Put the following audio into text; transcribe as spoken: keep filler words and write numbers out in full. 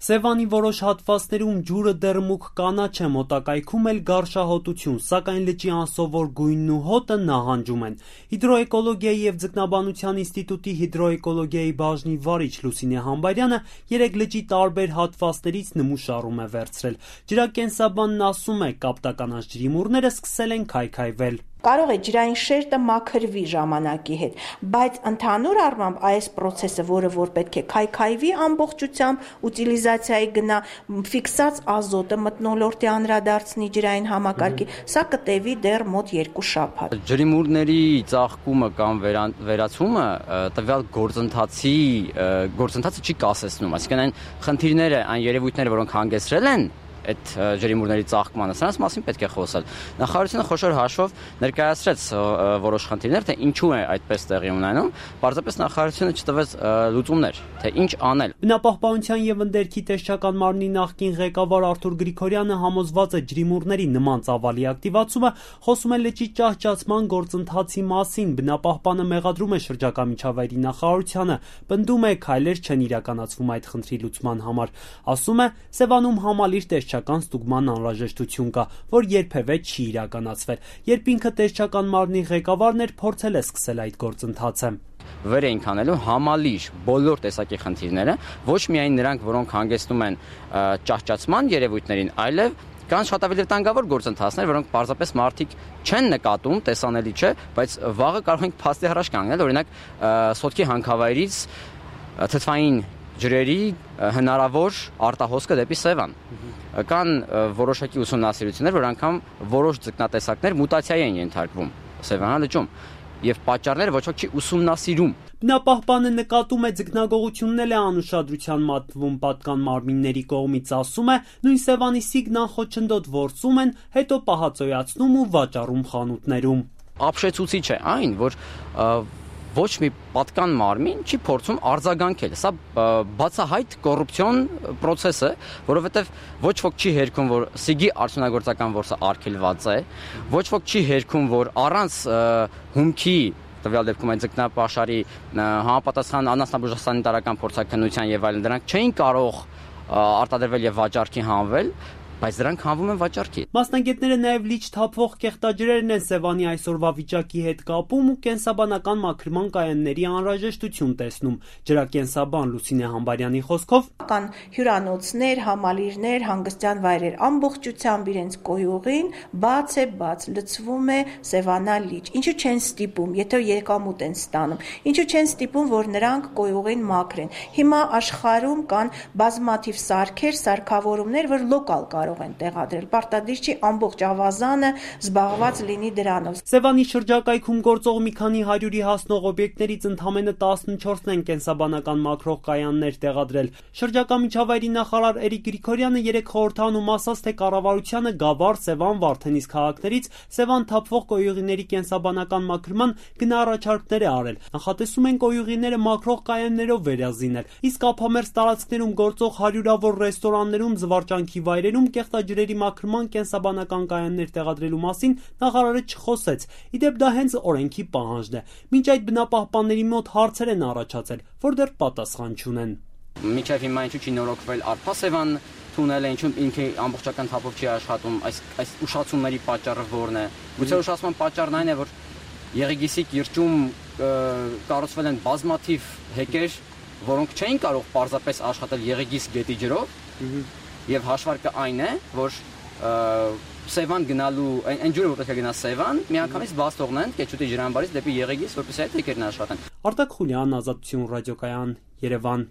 Սևանի որոշ հատվածներում ջուրը դեռ մուգ կանաչ է, մոտակայքում էլ գարշահոտություն, սակայն լճի անսովոր գույնն ու հոտը նահանջում են։ Հիդրոէկոլոգիայի և ձկնաբանության ինստիտուտի հիդրոէկոլոգիայի բաժնի վարիչ Լուսինե Համբարյանը երեք լճի տարբեր հատվածներից նմուշառում է վերցրել։ Ջրակենսաբանն ասում է, կապտականած ջրիմուռները սկսել են քայքայվել։ Կարող է ջրային շերտը մաքրվի ժամանակի հետ, բայց ընդհանուր առմամբ այս process-ը, որը որ պետք է քայքայվի ամբողջությամբ, ուտիլիզացիայի գնա, ֆիքսած ազոտը մթնոլորտի անդրադարձնի ջրային համակարգի, սա կտևի դեռ մոտ երկու շաբաթ։ Ջրիմուռների ծաղկումը կամ վերացումը տվյալ գործընթացի գործընթացը չի կասեցնում, այսինքն այն խնդիրները, այն երևույթները, որոնք հանգեցրել են այդ ջրիմուռների ծաղկմանը, սրանց մասին պետք է խոսել։ Նախարարությունը խոշոր հաշվով ներկայացրեց որոշ խնդիրներ, թե ինչու է այդպես տեղի ունենում, պարզապես նախարարությունը չտվեց լուծումներ, թե ինչ անել։ Բնապահպանության և ընդերքի տեսչական մարմնի նախկին ղեկավար Արթուր Գրիգորյանը համոզված է ջրիմուռների նման ծավալի ակտիվացումը խոսում է լճի ճահճացման գործընթացի մասին։ Բնապահպանը մեղադրում է շրջակա միջավայրի նախարարությանը, պնդում է քայլեր չեն իրականացվում այդ խնդրի լուծման համար։ Ասում է Սևանում համալիր տեսչական ստուգման անհրաժեշտություն կա, որ երբևէ չի իրականացվել։ Երբ ինքը տեսչական մարմնի ղեկավարն էր, փորձել է սկսել այդ գործընթացը։ Վեր էինք անելու համալիր բոլոր տեսակի խնդիրները, ոչ միայն նրանք, որոնք հանգեցնում են ճահճացման երևույթներին, այլև կան շատ ավելի վտանգավոր գործընթացներ, որոնք պարզապես մարդիկ չեն նկատում, տեսանելի չէ, բայց վաղը կարող ենք փաստի առաջ կանգնել, օրինակ սոտքի հանքավայրից թթվային ջրերի հնարավոր արտահոսքը դեպի Սևան։ Կան որոշակի ուսումնասիրություններ, որ անգամ որոշ ձկնատեսակներ մուտացիայի են ենթարկվում Սևանա լճում, եւ պատճառները ոչ ոք չի ուսումնասիրում։ Բնապահպանը նկատում է ձկնագողությունն էլ է անուշադրության մատվում պատկան մարմինների կողմից, ասում է, նույն Սևանի Սիգնան խոչընդոտ որսում են, հետո պահածոյացնում ու վաճառում խանութներում։ Ապշեցուցիչ է այն, որ ոչ մի պատկան մարմին չի փորձում արձագանքել։ Սա բացահայտ կոռուպցիոն process է, որովհետև ոչ ոք չի հերքում, որ Սիգի արդյունագործական որսը արգելված է, ոչ ոք չի հերքում, որ առանց հումքի տվյալ դեպքում այդ ձկնապաշարի համապատասխան անասնաբուժասանիտարական փորձաքննության եւ այլն դրանք չէին կարող արտադրվել եւ վաճառքի հանվել, բայց դրանք հանվում են վաճառքի։ Մասնագետները նաև լիճ թափվող կեղտաջրերն են Սևանի այսօրվա վիճակի հետ կապում ու կենսաբանական մաքրման կայանների անհրաժեշտություն տեսնում։ Ջրակենսաբան Լուսինե Համբարյանի խոսքով կան հյուրանոցներ, համալիրներ, հանգստյան վայրեր ամբողջությամբ իրենց կոյուղին բաց է, բաց լցվում է Սևանա լիճ։ Ինչու չեն ստիպում, եթե եկամուտ են ստանում, ինչու չեն ստիպում, որ նրանք կոյուղին մաքրեն։ Հիմա աշխարհում կան բազմաթիվ սարքեր, սարքավորումներ, որ լոկալ կարող են տեղադրել, պարտադիր չի ամբողջ ավազանը զբաղված լինի դրանով։ Սևանի շրջակայքում գործող մի քանի հարյուրի հասնող օբյեկտներից ընդամենը տասնչորսն են կենսաբանական մաքրող կայաններ տեղադրել։ Շրջակա միջավայրի նախարար Էրիկ Գրիգորյանը երեք խորհրդանում ասաց, թե կառավարությանը Գավառ, Սևան, Վարդենիս քաղաքներից Սևան թափվող կոյուղիների կենսաբանական մաքրման գնահառաջարկներ է արել։ Նախատեսում են կոյուղիները մաքրող կայաններով վերազինել, իսկ ափամերձ տարածքներում գործող հարյուրավոր ռեստորաններում, զվարճանքի վայրերում կեղտաջրերի մաքրման կենսաբանական կայաններ տեղադրելու մասին նախարարը չխոսեց։ Իդեպ դա հենց օրենքի պահանջն է։ Մինչ այդ բնապահպանների մոտ հարցեր են առաջացել, որ դեռ պատասխան չունեն։ Մինչև հիմա ինչու չի նորոգվել Արփա-Սևան թունելը, ինչու ինքը ամբողջական թափով չի աշխատում, այս այս ուշացումների պատճառը որն է։ Գուցե ուշացման պատճառն այն է, որ Եղեգիսի կիրճում կառուցվել են բազմաթիվ հեկեր, որոնք չէին կարող պարզապես աշխատել Եղեգիս գետի ջրով։ Եվ հաշվարկը այն է, որ Սևան գնալու, այն ջուրը, որ պետք է գնա Սևան, միանգամից բաց թողնեն Կեչուտի ջրամբարից դեպի Եղեգիս, որպեսզի այդ հեկերն աշխատեն։ Արտակ Խուլյան, Ազատություն ռադիոկայան, Երևան։